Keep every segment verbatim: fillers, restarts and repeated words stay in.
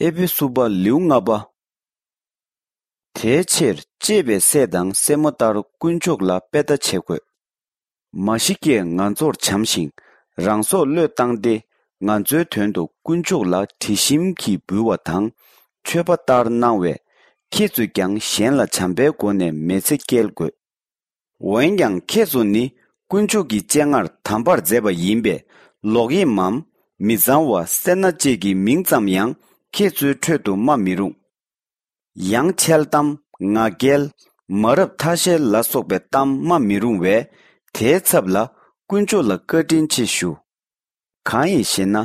ཨེ་ཕེ་སུ་པ་ལེའུ་ལྔ་པ། དེའི་ཕྱིར་གཅེས་པའི་སྲས་དང་སྲས་མོ་ལྟར་དཀོན་མཆོག་ལ་དཔེ་ལྟ་བྱེད་དགོས། མ་ཤི་ཀས་ང་ཚོར་བྱམས་ཤིང་རང་སྲོག་བློས་བཏང་སྟེ། ང་ཚོའི་དོན་དུ་དཀོན་མཆོག་ལ་དྲི་ཞིམ་གྱིས་འབུལ་བ་དང་མཆོད་པ་ལྟར་གནང་བས། ཁྱེད་ཚོས་ཀྱང་གཞན་ལ་བྱམས་པའི་སྒོ་ནས་མི་ཚེ་སྐྱེལ་དགོས། འོན་ཀྱང་ཁྱེད་ཚོ་ནི་དཀོན་མཆོག་གི་སྤྱན་སྔར་དམ་པར་མཛད་པ་ཡིན་པས། ལོག་གཡེམ་མམ། མི་གཙང་བ། སེར་སྣ་བཅས་ཀྱི་མིང་ཙམ་ཡང་ཁྱེད་ཚོའི་ཁྲོད་དུ་སྨྲ་མི་རུང་། ཡང་འཆལ་གཏམ། ངག་འཁྱལ། མ་རབས་ཐ་ཤལ་ལ་སོགས་པའི་གཏམ་སྨྲ་མི་རུང་བས། དེའི་ཚབ་ལ་དཀོན་མཆོག་ལ་བཀའ་དྲིན་ཆེ་ཞུ། གང་ཡིན་ཞེ་ན།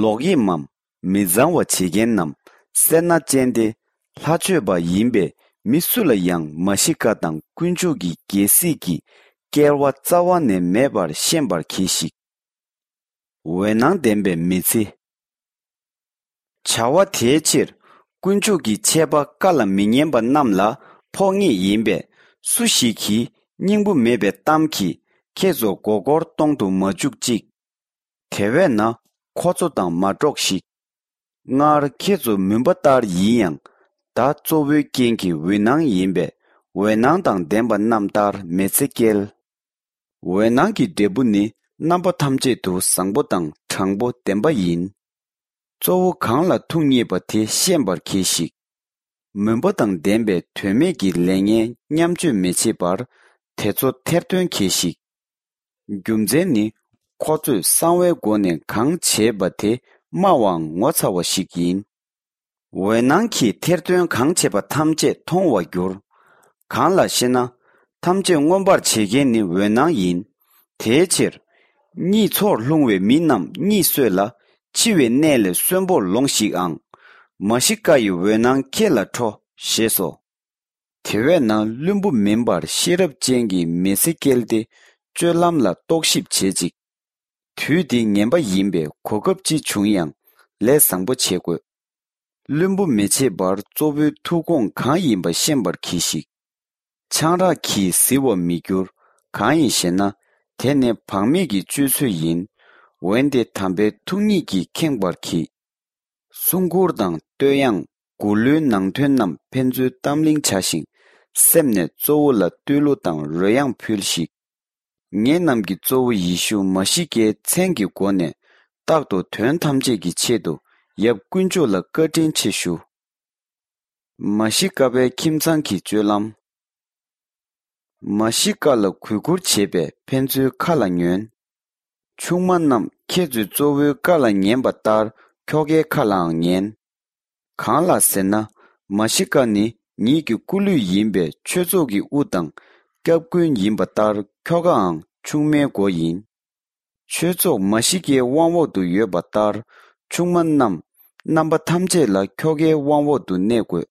ལོག་གཡེམ་མམ། མི་གཙང་བ་བྱེད་མཁན་ནམ། སེར་སྣ་ཅན་ཏེ། ལྷ་མཆོད་པ་ཡིན་པས་མི་སུ་ལ་ཡང་མ་ཤི་ཀ་དང་དཀོན་མཆོག་གི་རྒྱལ་སྲིད་ཀྱི་སྐལ་བ་རྩ་བ་ནས་མེད་པར་ཤེས་པར་གྱིས་ཤིག། འོད་སྣང་ལྡན་པའི་མི་ཚེ། བྱ་བ་དེའི་ཕྱིར་དཀོན་མཆོག་གི་ཆད་པ་བཀའ་ལ་མི་ཉན་པ་རྣམས་ལ་ཕོག་ངེས་ཡིན་པས། སུ་ཞིག་གིས་སྙིང་པོ་མེད་པའི་གཏམ་གྱིས་ཁྱེད་ཚོ་མགོ་སྐོར་གཏོང་དུ་མ་བཅུག་ཅིག། དེ་བས་ན་ཁོ་ཚོ་དང་མ་འགྲོགས་ཤིག། སྔར་ཁྱེད་ཚོ་མུན་པ་ལྟར་ཡིན་ཡང་། ད་གཙོ་བོའི་རྐྱེན་གྱིས་འོད་སྣང་ཡིན་པས། འོད་སྣང་དང་ལྡན་པ་རྣམས་ལྟར་མི་ཚེ་སྐྱེལ། འོད་སྣང་གི་འབྲས་བུ་ནི་རྣམ་པ་ཐམས་ཅད་དུ་བཟང་པོ་དང་དྲང་པོ་བདེན་པ་ཡིན། གཙོ་བོ་གང་ལ་ཐུགས་མཉེས་པ་དེ་ཤེས་པར་གྱིས་ཤིག། མུན་པ་དང་ལྡན་པའི་དོན་མེད་ཀྱི་ལས་ངན་མཉམ་སྤྱོད་མི་བྱེད་པར་དེ་ཚོ་ཐེར་འདོན་གྱིས་ཤིག། རྒྱུ་མཚན་ནི། ཁོ་ཚོས་གསང་བའི་སྒོ་ནས་གང་བྱས་པ་དེ་སྨྲ་བའང་ངོ་ཚ་བ་ཞིག་ཡིན། འོད་སྣང་གིས་ཐེར་འདོན་གང་བྱས་པ་ཐམས་ཅད་མཐོང་བར་འགྱུར། གང་ལགས་ཤེ་ན། ཐམས་ཅད་མངོན་པར་བྱེད་མཁན་ནི་འོད་སྣང་ཡིན། དེའི་ཕྱིར། གཉིད་ཚོར་ལྷུང་བའི་མི་རྣམས་གཉིད་སོས་ལ། འཆི་བའི་གནས་ལས་གསོན་པོར་ལོངས་ཤིག་ཨང་། མ་ཤི་ཀ་ཡི་འོད་སྣང་ཁྱེད་ལ་འཕྲོ། ཞེས་སོ། དེ་བས་ན་བླུན་པོ་མིན་པར་ཤེས་རབ་ཅན་གྱི་མི་ཚེ་སྐྱེལ་ཏེ། སྤྱོད་ལམ་ལ་རྟོག་ཞིབ་བྱེད་ཅིག། དུས་འདི་ངན་པ་ཡིན་པས་གོ་སྐབས་ཅི་བྱུང་ཡང་ལས་བཟང་པོ་བྱེད་དགོས། བླུན་པོ་མི་བྱེད་པར་གཙོ་བོའི་ཐུགས་དགོངས་གང་ཡིན་པ་ཤེས་པར་གྱིས་ཤིག། ཆང་རག་གིས་བཟི་བར་མི་འགྱུར། གང་ཡིན་ཞེ་ན། དེ་ནི་བག་མེད་ཀྱི་སྤྱོད་ཚུལ་ཡིན། འོན་ཏེ་དམ་པའི་ཐུགས་ཉིད་ཀྱིས་ཁེངས་པར་གྱིས། སྲུང་འཁོར་དང་བསྟོད་དབྱངས། མགུར་གླུའི་ནང་དོན་རྣམས་ཕན་ཚུན་གཏམ་གླེང་བྱ་ཞིང་། སེམས་ནས་གཙོ་བོ་ལ་བཏུད་གླུ་དང་རོལ་དབྱངས་ཕུལ་ཞིག། ངེད་རྣམས་ཀྱི་གཙོ་བོ་ཡེ་ཤུ་མ་ཤི་ཀའི་མཚན་གྱི་སྒོ་ནས། རྟག་ཏུ་དོན་ཐམས་ཅད་ཀྱི་ཆེད་དུ་ཡབ་དཀོན་མཆོག་ལ་བཀའ་དྲིན་ཆེ་ཞུ། མ་ཤི་ཀ་པའི་ཁྱིམ་ཚང་གི་སྤྱོད་ལམ། མ་ཤི་ཀ་ལ་གུས་བཀུར་བྱེད་པས་ཕན་ཚུན་ཁ་ལ་ཉོན། ཆུང་མ་རྣམས་ཁྱེད་ཚོས་གཙོ་བོའི་བཀའ་ལ་ཉན་པ་ལྟར་ཁྱོ་གའི་ཁ་ལའང་ཉན། གང་ལགས་ཟེར་ན། མ་ཤི་ཀ་ནི་ཉིད་ཀྱི་སྐུ་ལུས་ཡིན་པས་ཆོས་ཚོགས་ཀྱི་དབུ་དང་སྐྱབས་མགོན་ཡིན་པ་ལྟར་ཁྱོ་གའང་ཆུང་མའི་མགོ་ཡིན། ཆོས་ཚོགས་མ་ཤི་ཀའི་དབང་འོག་ཏུ་ཡོད་པ་ལྟར་ཆུང་མ་རྣམས་རྣམ་པ་ཐམས་ཅད་ལ་ཁྱོ་གའི་དབང་འོག་ཏུ་གནས་དགོས།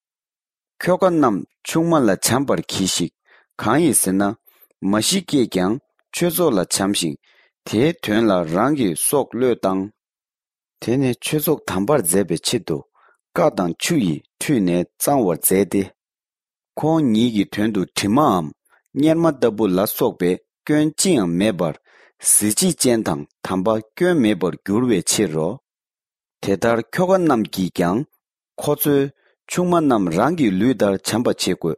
ཁྱོ་ག་རྣམས་ཆུང་མ་ལ་བྱམས་པར་གྱིས་ཤིག། གང་ཡིན་ཟེར་ན། མ་ཤི་ཀས་ཀྱང་ཆོས་ཚོགས་ལ་བྱམས་ཤིང་། དེའི་དོན་ལ་རང་གི་སྲོག་བློས་བཏང་། དེ་ནི་ཆོས་ཚོགས་དམ་པར་མཛད་པའི་ཆེད་དུ་བཀའ་དང་ཆུ་ཡིས་ཁྲུས་ནས་གཙང་བར་མཛད་དེ། ཁོང་ཉིད་ཀྱི་དོན་དུ་གྲིབ་མའམ་གཉེར་མ་ལྟ་བུ་ལ་སོགས་པའི་སྐྱོན་ཅི་ཡང་མེད་པར་གཟི་བརྗིད་ཅན་དང་དམ་པ་སྐྱོན་མེད་པར་འགྱུར་བའི་ཕྱིར་རོ། དེ་ལྟར་ཁྱོ་ག་རྣམས་ཀྱིས་ཀྱང་ཁོ་ཚོའི་ཆུང་མ་རྣམས་རང་གི་ལུས་ལྟར་བྱམས་པ་བྱེད་དགོས།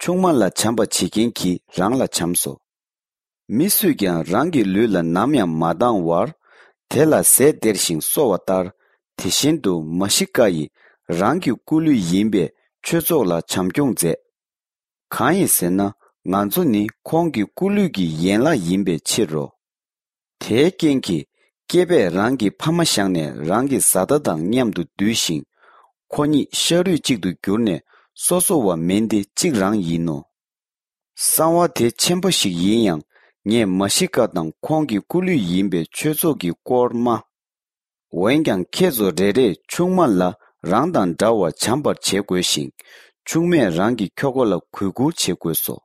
ཆུང་མ་ལ་བྱམས་པ་བྱེད་མཁན་གྱིས་རང་ལ་བྱམས་སོ། མི་སུས་ཀྱང་རང་གི་ལུས་ལ་ནམ་ཡང་མ་སྡང་བར། དེ་ལ་ཟས་སྟེར་ཞིང་གསོ་བ་ལྟར། དེ་བཞིན་དུ་མ་ཤི་ཀ་ཡིས་རང་གི་སྐུ་ལུས་ཡིན་པའི་ཆོས་ཚོགས་ལ་བྱམས་སྐྱོང་མཛད། གང་ཡིན་ཟེར་ན། ང་ཚོ་ནི་ཁོང་གི་སྐུ་ལུས་ཀྱི་ཡན་ལག་ཡིན་པའི་ཕྱིར་རོ། དེའི་རྐྱེན་གྱིས་སྐྱེས་པས་རང་གི་ཕ་མ་བཞག་ནས་རང་གི་བཟའ་ཟླ་དང་མཉམ་དུ་འདུས་ཤིང་། ཁོ་གཉིས་ཤ་རུས་གཅིག་ཏུ་གྱུར་ནས་སོ་སོ་བ་མིན་ཏེ་གཅིག་རང་ཡིན་ནོ། གསང་བ་དེ་ཆེན་པོ་ཞིག་ཡིན་ཡང་། ངས་མ་ཤི་ཀ་དང་ཁོང་གི་སྐུ་ལུས་ཡིན་པའི་ཆོས་ཚོགས་ཀྱི་སྐོར་སྨྲ། འོན་ཀྱང་ཁྱེད་ཚོ་རེ་རེས་ཆུང་མ་ལ་རང་དང་འདྲ་བར་བྱམས་པར་བྱེད་དགོས་ཤིང་། ཆུང་མས་རང་གི་ཁྱོ་ག་ལ་གུས་བཀུར་བྱེད་དགོས་སོ།